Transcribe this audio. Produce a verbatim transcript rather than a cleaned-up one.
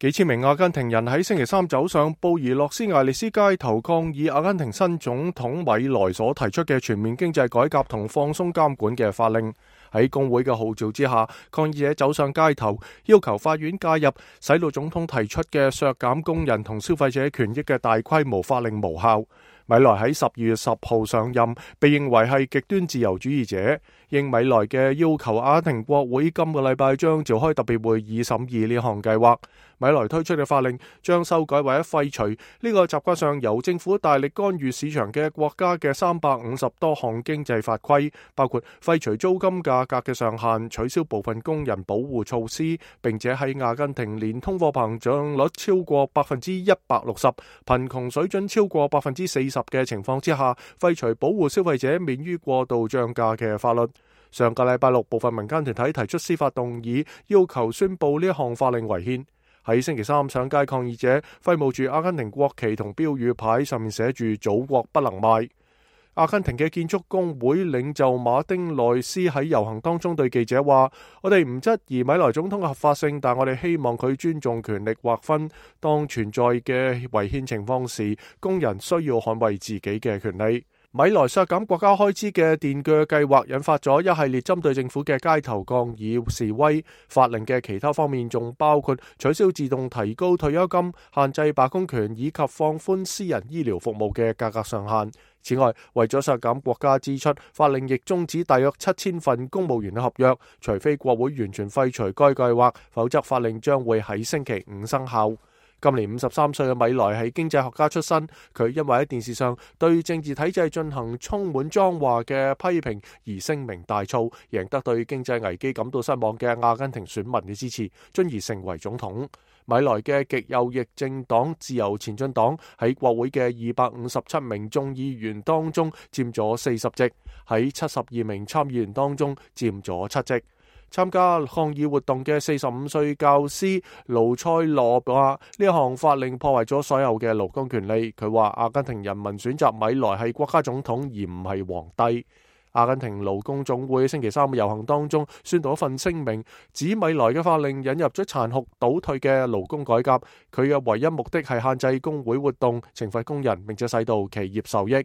幾千名阿根廷人喺星期三走上布宜諾斯艾利斯街頭抗議阿根廷新總統米萊所提出嘅全面經濟改革同放鬆監管嘅法令。喺工會嘅號召之下，抗議者走上街頭，要求法院介入，使到總統提出嘅削減工人同消費者權益嘅大規模法令無效。米萊喺十二月十號上任，被認為係極端自由主義者。應米萊嘅要求，阿根廷國會今個禮拜將召開特別會議審議呢項計劃。米萊推出嘅法令將修改或者廢除呢個習慣上由政府大力干預市場嘅國家嘅三百五十多項經濟法規，包括廢除租金價格嘅上限、取消部分工人保護措施，並且喺阿根廷年通貨膨脹率超過百分之一百六十、貧窮水準超過百分之四十嘅情況之下，廢除保護消費者免於過度漲價嘅法律。上個禮拜六，部分民間團體提出司法動議，要求宣布呢一項法令違憲。喺星期三上街抗議者揮舞住阿根廷國旗同標語牌，上面寫住祖國不能賣。阿根廷嘅建築工會領袖馬丁內斯喺遊行當中對記者話：我哋唔質疑米萊總統嘅合法性，但我哋希望佢尊重權力劃分。當存在嘅違憲情況時，工人需要捍衛自己嘅權利。米萊削減國家開支嘅電鋸計劃引發咗一系列針對政府嘅街頭抗議示威。法令嘅其他方面仲包括取消自動提高退休金、限制罷工權以及放寬私人醫療服務嘅價格上限。此外，為咗削減國家支出，法令亦終止大約七千份公務員嘅合約，除非國會完全廢除該計劃，否則法令將會喺星期五生效。今年五十三歲嘅米萊係經濟學家出身，佢因為喺電視上對政治體制進行充滿髒話嘅批評而聲名大噪，贏得對經濟危機感到失望嘅阿根廷選民嘅支持，進而成為總統。米萊嘅極右翼政黨自由前進黨喺國會嘅二百五十七名眾議員當中佔咗四十席，喺七十二名參議員當中佔咗七席。參加抗議活動嘅四十五歲教師盧塞羅話：呢項法令破壞咗所有嘅勞工權利。佢話阿根廷人民選擇米萊係國家總統而唔係皇帝。阿根廷勞工總會星期三嘅遊行當中宣讀一份聲明，指米萊嘅法令引入咗殘酷倒退嘅勞工改革，佢嘅唯一目的係限制工會活動、懲罰工人，並且使到企業受益。